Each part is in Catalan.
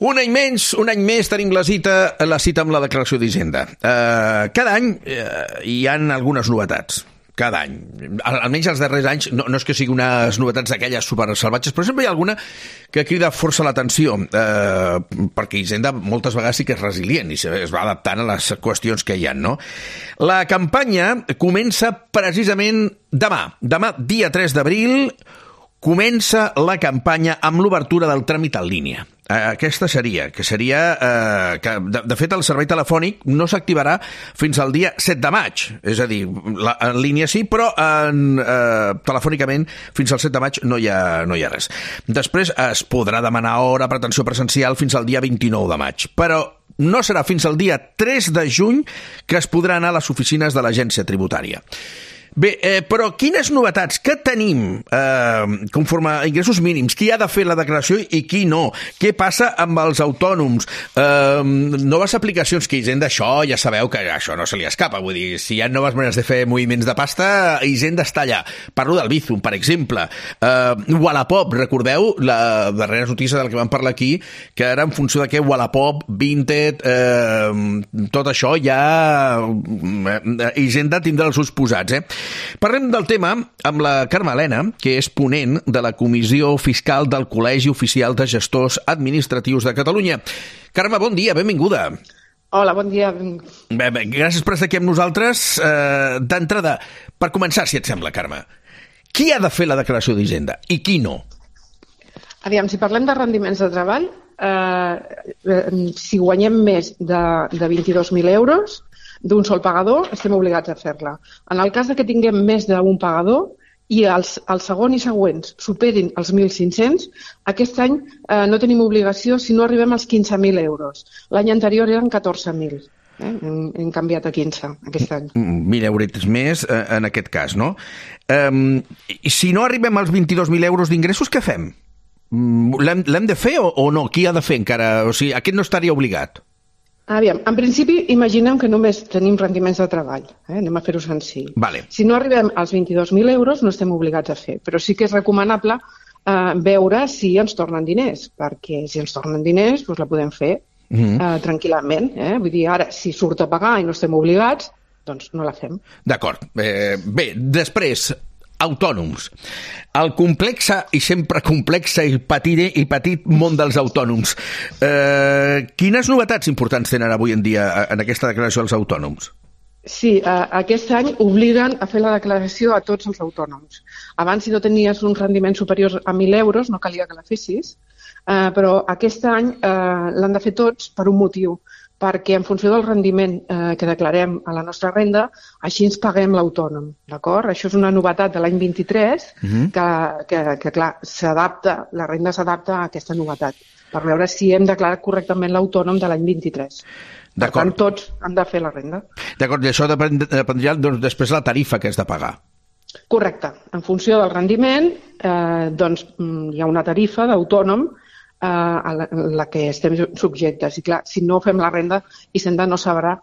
Un any més tenim la cita amb la declaració d'Hisenda. Cada any hi han algunes novetats. Cada any. Almenys els darrers anys, no és que siguin unes novetats d'aquelles supersalvatges, però sempre hi ha alguna que crida força l'atenció, perquè Hisenda moltes vegades sí que és resilient i es va adaptant a les qüestions que hi ha, no? La campanya comença precisament demà. Demà, dia 3 d'abril, comença la campanya amb l'obertura del tràmit en línia. Aquesta seria, que de fet el servei telefònic no s'activarà fins al dia 7 de maig, és a dir, en línia sí, però telefònicament fins al 7 de maig no hi ha res. Després es podrà demanar hora per atenció presencial fins al dia 29 de maig, però no serà fins al dia 3 de juny que es podrà anar a les oficines de l'agència tributària. Bé, però quines novetats? Què tenim conforme a ingressos mínims? Qui ha de fer la declaració i qui no? Què passa amb els autònoms? Noves aplicacions que Hisenda, això ja sabeu que això no se li escapa. Vull dir, si hi ha noves maneres de fer moviments de pasta, Hisenda està allà. Parlo del Bizum, per exemple. Wallapop, recordeu la darrera notícia del que vam parlar aquí, que era en funció de què Wallapop, Vinted, tot això ja Hisenda tindrà els seus posats, Parlem del tema amb la Carme Elena, que és ponent de la Comissió Fiscal del Col·legi Oficial de Gestors Administratius de Catalunya. Carme, bon dia, benvinguda. Hola, bon dia. Bé, gràcies per estar aquí amb nosaltres. D'entrada, per començar, si et sembla, Carme, qui ha de fer la declaració d'Hisenda i qui no? Aviam, si parlem de rendiments de treball, si guanyem més de 22.000 euros, d'un sol pagador, estem obligats a fer-la. En el cas que tinguem més d'un pagador i el segon i següents superin els 1.500, aquest any no tenim obligació si no arribem als 15.000 euros. L'any anterior eren 14.000. Hem canviat a 15 aquest any. 1.000 euros més en aquest cas, no? I si no arribem als 22.000 euros d'ingressos, què fem? L'hem de fer o no? Qui ha de fer encara? O sigui, aquest no estaria obligat. Aviam, en principi, imaginem que només tenim rendiments de treball. Anem a fer-ho senzill. Vale. Si no arribem als 22.000 euros, no estem obligats a fer. Però sí que és recomanable veure si ens tornen diners, perquè si ens tornen diners, doncs la podem fer tranquil·lament. Vull dir, ara, si surt a pagar i no estem obligats, doncs no la fem. D'acord. Bé, després, autònoms. El complexe i sempre complexe i petit món dels autònoms. Quines novetats importants tenen avui en dia en aquesta declaració dels autònoms? Sí, aquest any obliguen a fer la declaració a tots els autònoms. Abans, si no tenies uns rendiments superiors a 1.000 euros, no calia que la fessis, però aquest any l'han de fer tots per un motiu, perquè en funció del rendiment que declarem a la nostra renda, així ens paguem l'autònom, d'acord? Això és una novetat de l'any 23, que clar, la renda s'adapta a aquesta novetat, per veure si hem declarat correctament l'autònom de l'any 23. Per tant, tots han de fer la renda. D'acord, i això dependrà després de la tarifa que has de pagar. Correcte. En funció del rendiment, doncs hi ha una tarifa d'autònom a la que estem subjectes. I clar, si no fem la renda, Hisenda no sabrà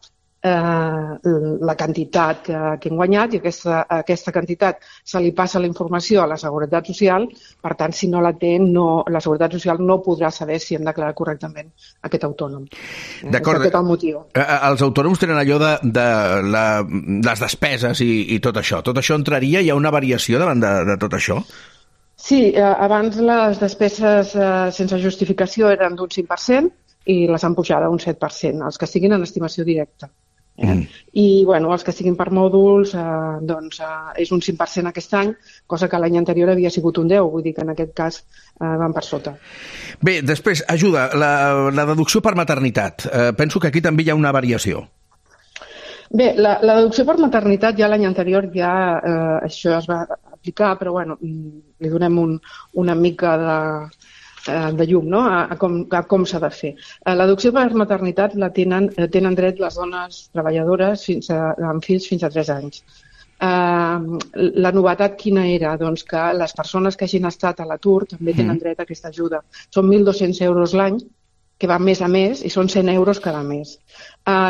la quantitat que hem guanyat i aquesta quantitat se li passa la informació a la Seguretat Social. Per tant, si no la té, la Seguretat Social no podrà saber si hem declarat correctament aquest autònom. D'acord. És aquest el motiu. Els autònoms tenen allò de les despeses i tot això. Tot això entraria? Hi ha una variació davant de tot això? Sí, abans les despeses sense justificació eren d'un 5% i les han pujat a un 7%, els que estiguin en estimació directa. I els que estiguin per mòduls és un 5% aquest any, cosa que l'any anterior havia sigut un 10%, vull dir que en aquest cas van per sota. Bé, després, ajuda, la deducció per maternitat. Penso que aquí també hi ha una variació. Bé, la deducció per maternitat ja l'any anterior això es va aplicar, però li donem una mica de llum, no? a com s'ha de fer. La deducció per maternitat la tenen dret les dones treballadores amb fills fins a 3 anys. La novetat quina era? Doncs que les persones que hagin estat a l'atur també tenen dret a aquesta ajuda. Són 1.200 euros l'any, que va mes a mes, i són 100 euros cada mes.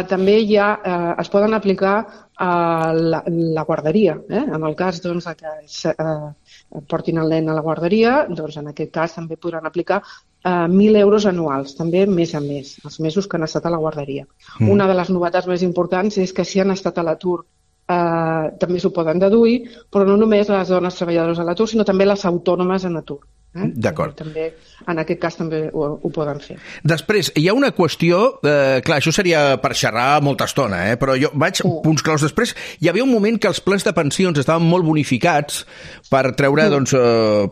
També es poden aplicar la guarderia. En el cas que portin el nen a la guarderia, doncs en aquest cas també podran aplicar 1.000 euros anuals, també mes a mes, els mesos que han estat a la guarderia. Una de les novetats més importants és que si han estat a l'atur també s'ho poden deduir, però no només les dones treballadores a l'atur, sinó també les autònomes en atur. D'acord. També, en aquest cas també ho poden fer. Després, hi ha una qüestió, clar, això seria per xerrar molta estona, però jo vaig punts claus després. Hi havia un moment que els plans de pensions estaven molt bonificats per treure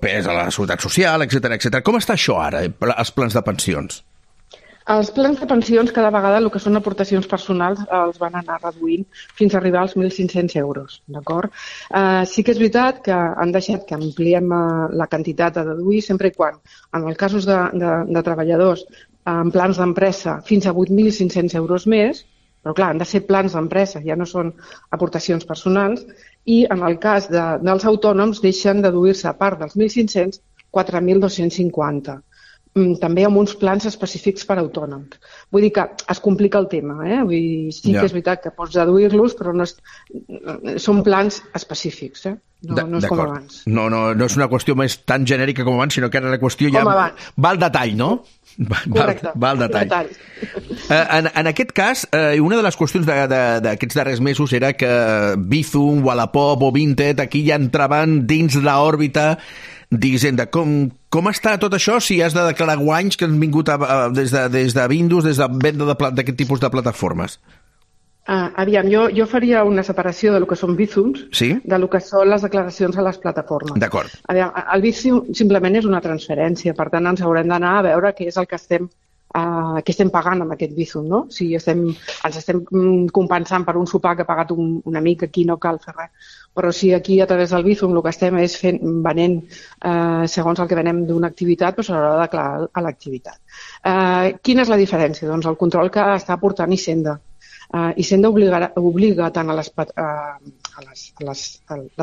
pes a la seguretat social, etc. Com està això ara, els plans de pensions? Els plans de pensions cada vegada el que són aportacions personals els van anar reduint fins a arribar als 1.500 euros, d'acord? Sí que és veritat que han deixat que ampliem la quantitat a deduir sempre i quan, en els casos de treballadors en plans d'empresa, fins a 8.500 euros més, però clar, han de ser plans d'empresa, ja no són aportacions personals, i en el cas dels autònoms deixen deduir-se a part dels 1.500, 4.250. També amb uns plans específics per autònoms. Vull dir que es complica el tema, Vull dir, sí que és veritat que pots deduir-los, però no són plans específics, No és com abans. No és una qüestió més tan genèrica com abans, sinó que ara la qüestió ja va al detall, no? Correcte. Va al detall. En aquest cas, una de les qüestions d'aquests darrers mesos era que Bizum, Wallapop o Vinted aquí ja entraven dins l'òrbita d'Hisenda. Com està tot això si has de declarar guanys que han vingut des de Windows, des de venda d'aquest tipus de plataformes? Aviam, jo faria una separació del que són Bizums del que són les declaracions a les plataformes. D'acord. Aviam, el Bizum simplement és una transferència, per tant ens haurem d'anar a veure què és el que estem pagant amb aquest Bizum, no? Si ens estem compensant per un sopar que ha pagat un amic, aquí no cal fer res. Però si aquí a través del Bizum el que estem és venent segons el que venem d'una activitat, doncs s'haurà de declarar a l'activitat. Quina és la diferència? Doncs el control que està aportant Hisenda. Hisenda obliga tant a les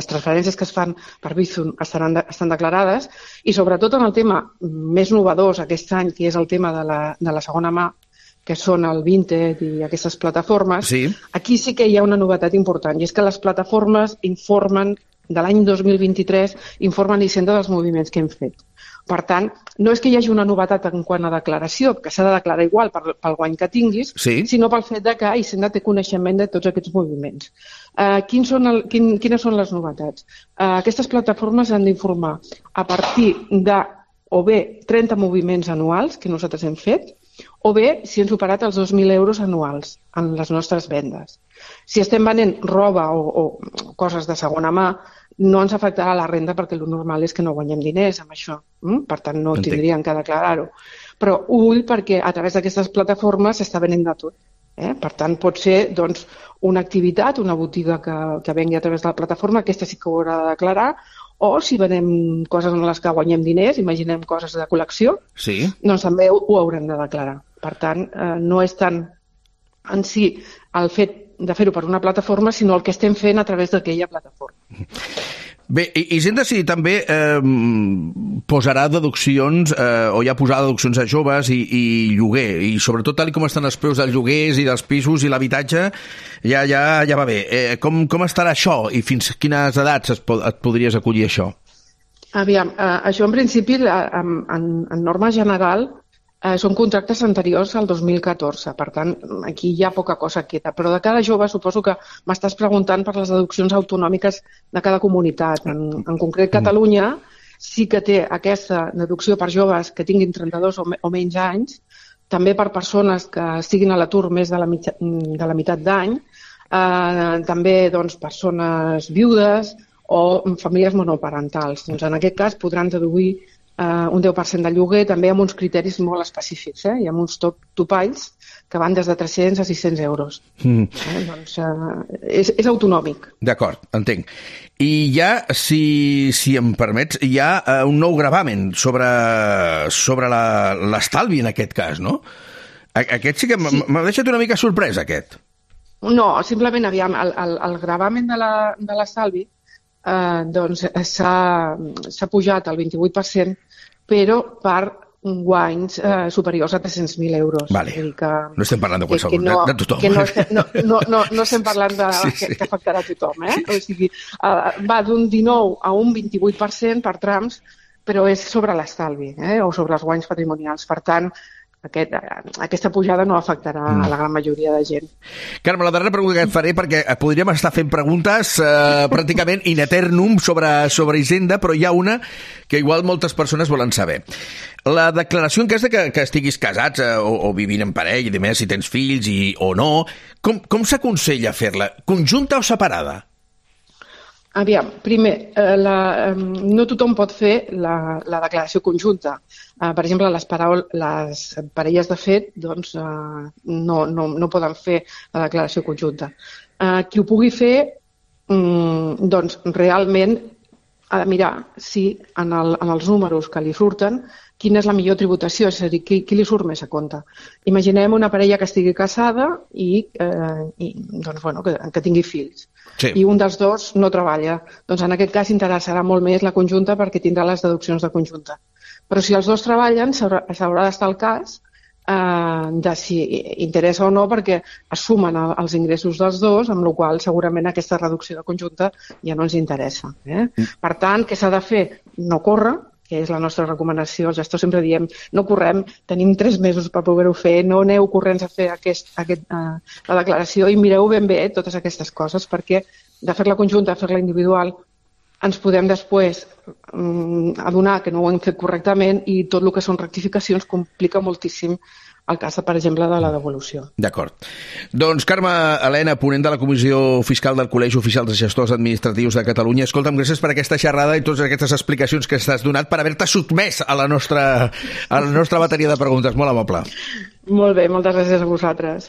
transferències que es fan per Bizum estan declarades i sobretot en el tema més novedós aquest any, que és el tema de la segona mà, que són el Vinted i aquestes plataformes, aquí sí que hi ha una novetat important, i és que les plataformes informen, de l'any 2023, informen Hisenda dels moviments que hem fet. Per tant, no és que hi hagi una novetat en quant a declaració, que s'ha de declarar igual pel guany que tinguis, sinó pel fet que Hisenda té coneixement de tots aquests moviments. Quines són les novetats? Aquestes plataformes han d'informar a partir de o bé 30 moviments anuals que nosaltres hem fet, o bé si hem superat els 2.000 euros anuals en les nostres vendes. Si estem venent roba o coses de segona mà, no ens afectarà la renda perquè el normal és que no guanyem diners amb això. Per tant, no tindríem que declarar-ho. Però ull perquè a través d'aquestes plataformes s'està venent de tot. Per tant, pot ser una activitat, una botiga que vengui a través de la plataforma, aquesta sí que ho haurà de declarar, o si venem coses en les que guanyem diners, imaginem coses de col·lecció, doncs també ho haurem de declarar. Per tant, no és tant en si el fet de fer-ho per una plataforma, sinó el que estem fent a través d'aquella plataforma. Bé, Hisenda sí també posarà deduccions, o ja posarà deduccions a joves i lloguer, i sobretot tal com estan els preus dels lloguers i dels pisos i l'habitatge, ja va bé. Com estarà això i fins quines edats et podries acollir això? Aviam, això en principi, en norma general, són contractes anteriors al 2014, per tant, aquí hi ha poca cosa queda. Però de cada jove suposo que m'estàs preguntant per les deduccions autonòmiques de cada comunitat. En concret, Catalunya sí que té aquesta deducció per joves que tinguin 32 o menys anys, també per persones que estiguin a l'atur més de la meitat d'any, també persones viudes o famílies monoparentals. Doncs en aquest cas podran deduir un 10% de lloguer, també amb uns criteris molt específics, i amb uns topalls que van des de 300 a 600 euros. Doncs és autonòmic. D'acord, entenc. I ja, si em permets, hi ha un nou gravamen sobre l'estalvi en aquest cas, no? Aquest sí que m'ha deixat una mica sorprès, aquest. No, simplement, aviam, el gravamen de l'estalvi s'ha pujat al 28%, però per guanys superiors a 300.000 euros. Vale. No estem parlant de qualsevol, de tothom. No estem parlant que afectarà a tothom. O sigui, va d'un 19 a un 28% per trams, però és sobre l'estalvi o sobre els guanys patrimonials. Per tant, aquesta pujada no afectarà a la gran majoria de gent. Carme, la darrera pregunta que et faré, perquè podríem estar fent preguntes pràcticament in eternum sobre Hisenda, però hi ha una que igual moltes persones volen saber. La declaració en cas de que estiguis casats o vivint en parella, i més, si tens fills o no, com s'aconsella fer-la? Conjunta o separada? Aviam, primer, no tothom pot fer la declaració conjunta. Per exemple, les parelles de fet doncs, no poden fer la declaració conjunta. Qui ho pugui fer, doncs, realment ha de mirar si en els números que li surten quina és la millor tributació, és a dir, qui li surt més a compte. Imaginem una parella que estigui casada i doncs, bueno, que tingui fills. Sí. I un dels dos no treballa. Doncs en aquest cas interessarà molt més la conjunta perquè tindrà les deduccions de conjunta. Però si els dos treballen, s'haurà d'estar al cas de si interessa o no, perquè es sumen els ingressos dels dos, amb la qual cosa segurament aquesta reducció de conjunta ja no ens interessa. Per tant, què s'ha de fer? No córrer, que és la nostra recomanació. Els gestors sempre diem, no correm, tenim 3 mesos per poder-ho fer, no aneu corrents a fer la declaració i mireu ben bé totes aquestes coses, perquè de fer-la conjunta a fer-la individual ens podem després adonar que no ho hem fet correctament i tot el que són rectificacions complica moltíssim el cas, per exemple, de la devolució. D'acord. Doncs Carme Elena, ponent de la Comissió Fiscal del Col·legi Oficial de Gestors Administratius de Catalunya, escolta'm, gràcies per aquesta xerrada i totes aquestes explicacions que t'has donat per haver-te sotmès a la nostra bateria de preguntes. Molt amable. Molt bé, moltes gràcies a vosaltres.